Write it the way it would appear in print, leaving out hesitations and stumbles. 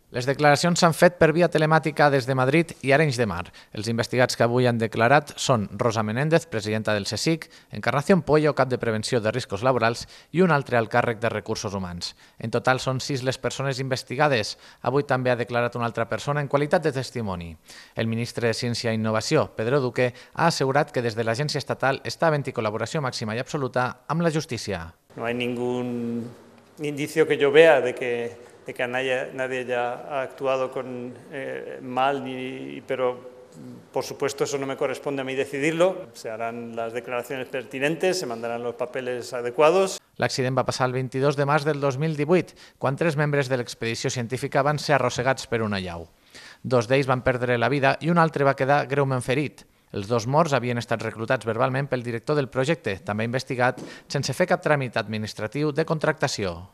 Les declaracions s'han fet per via telemàtica des de Madrid i Arenys de Mar. Els investigats que avui han declarat són Rosa Menéndez, presidenta del CSIC, Encarnación Pollo, cap de Prevenció de Riscos Laborals, i un altre al càrrec de Recursos Humans. En total són 6 les persones investigades. Avui també ha declarat una altra persona en qualitat de testimoni. El ministre de Ciència i Innovació, Pedro Duque, ha assegurat que des de l'agència estatal està havent-hi col·laboració màxima i absoluta amb la justícia. No hay ningún indicio que yo vea de que nadie haya actuado mal, pero por supuesto eso no me corresponde a mí decidirlo. Se harán las declaraciones pertinentes, se mandarán los papeles adecuados. L'accident va passar el 22 de març del 2018, quan 3 membres de l'expedició científica van ser arrossegats per una llau. 2 d'ells van perdre la vida i un altre va quedar greument ferit. Els 2 morts havien estat reclutats verbalment pel director del projecte, també investigat sense fer cap tràmit administratiu de contractació.